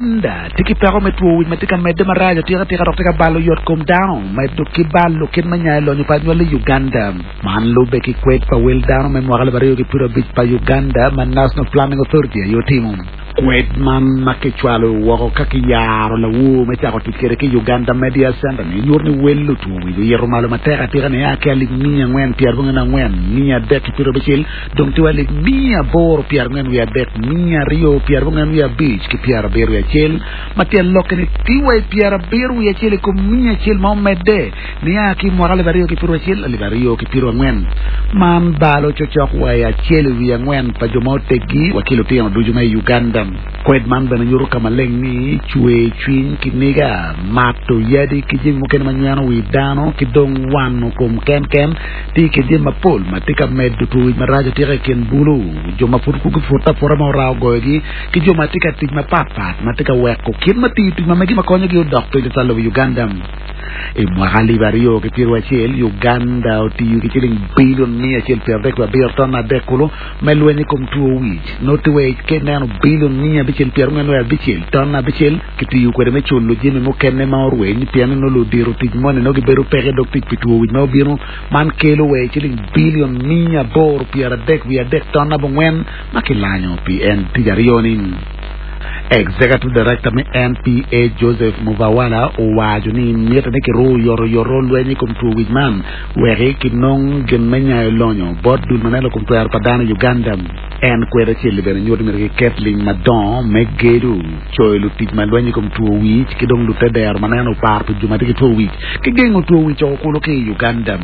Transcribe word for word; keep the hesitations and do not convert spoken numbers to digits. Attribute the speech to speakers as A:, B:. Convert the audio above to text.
A: Uganda tye ki peko me two wic ma tye ka medde marac atika tika dok tye ka balo yot kom dano medo ki balo kit me nyayo lonyo pa anywali i Uganda. Man lube ki kwed pa wel dano me mwaka alip aryo ki pyera abic pa Uganda ma National Planning Authority aye otimo. Kwed man ma kicwalo woko ka kiyaro lawor me cako tic kwede ki Uganda Media Center ni nyuto ni wel lutwo wic oyito malo matek atika nia ki alip miya angwen pyerabongwen angwen miya adek ki pyerabicel dong tye wa alip miya aboro pyerangwen wiye adek miya aryo pyerabongwen wiye abic ki pyerabiro wiye acel ma tyen lokke ni tye wa i pyerabiro wiye acel i kom miya acel ma omedde nia ki mwaka alip aryo ki pyero acel alip aryo ki pyero angwen man balo cocok wa i acel i wiye angwen pa jo ma oteggi wa ki lutino ducu ma i Uganda. Kwed man bene nyuto ka maleng ni cwer cwiny ki niga mato yadi ki jami mukene ma nyweno wi dano ki dong wano kom kenken tye ki jami mapol ma tye ka medo two wic marac atika i kin bulu jo ma pud gupute aputa ma ora ogoyogi ki jo ma tye ka tic mapatpat ma tye ka weko kit ma tiyo tic ma megi ma konyogi odok piny calo lobo Uganda. I mwaka alip aryo ki pyero acel Uganda otiyo ki ciling bilion miya acel pyero adek wiye abiro ton adek kulu me lweny i kom two wic noti wa ki neno bilion miya abicel pyero angwen wiye abicel ton abicel kitiyo kwede me culo jami mukene ma orweny pien ni nongo ludito tic moni nongo gibedo peke dog tic pi two wic ma obino man kelo wa i ciling bilion miya aboro pyero adek wiye adek ton abongwen ma kilanyo pi en tic aryo ni. Executive Director me N P A Joseph Muvawala owaco ni mitte ni kiru oyotoyot lweny i kom two wic man weki kinong gin me nyayo lonyo bot dul ma neno kom twero pa dano i Uganda. En kwed acel bene nyuto ni myero kiket ling madongo me gedo coyo lutic ma lweny i kom two wic ki dong lutedero ma neno opar pi jo ma tye ki two wic ki gengo two wic oko kulu ki i Uganda.